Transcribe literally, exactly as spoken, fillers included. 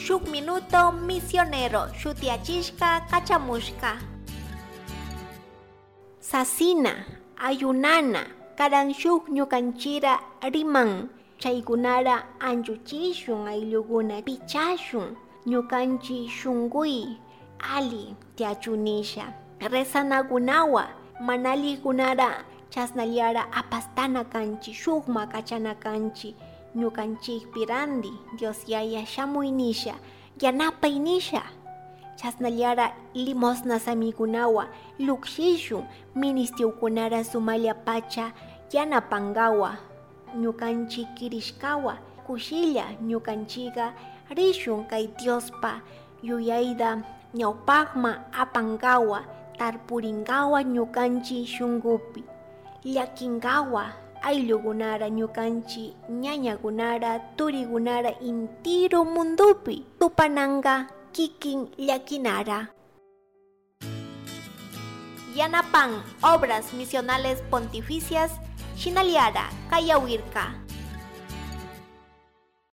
Shuk Minuto Misionero shutiachishka kachamushka. Sasina, ayunana, karan shuk ñukanchira riman, chaykunara anchuchishun ayllukuna pichashun, ñukanchi shunkuy ali tiachunisha. Rezanakunawa manalikunara chasnallara apastana kanchi, shukma kachana kanchi, ñukanchikpi randi Dios Yaya shamuy nisha, yanapay nisha. Chasnallara limosna samikunawa llukshishun ministiukunara sumalla pacha yanapankawa, ñukanchik kirishkawa kushilla ñukanchika rishun kay Diospa yuyayta ñawpakma apankawa, tarpurinkawa ñukanchik shunkupi, llakinkawa ayllukunara ñukanchik ñañakunara turikunara intiru mundupi tupananka kikin llakinara. Yanapan Obras Misionales Pontificias Shinaliara Kayawirka.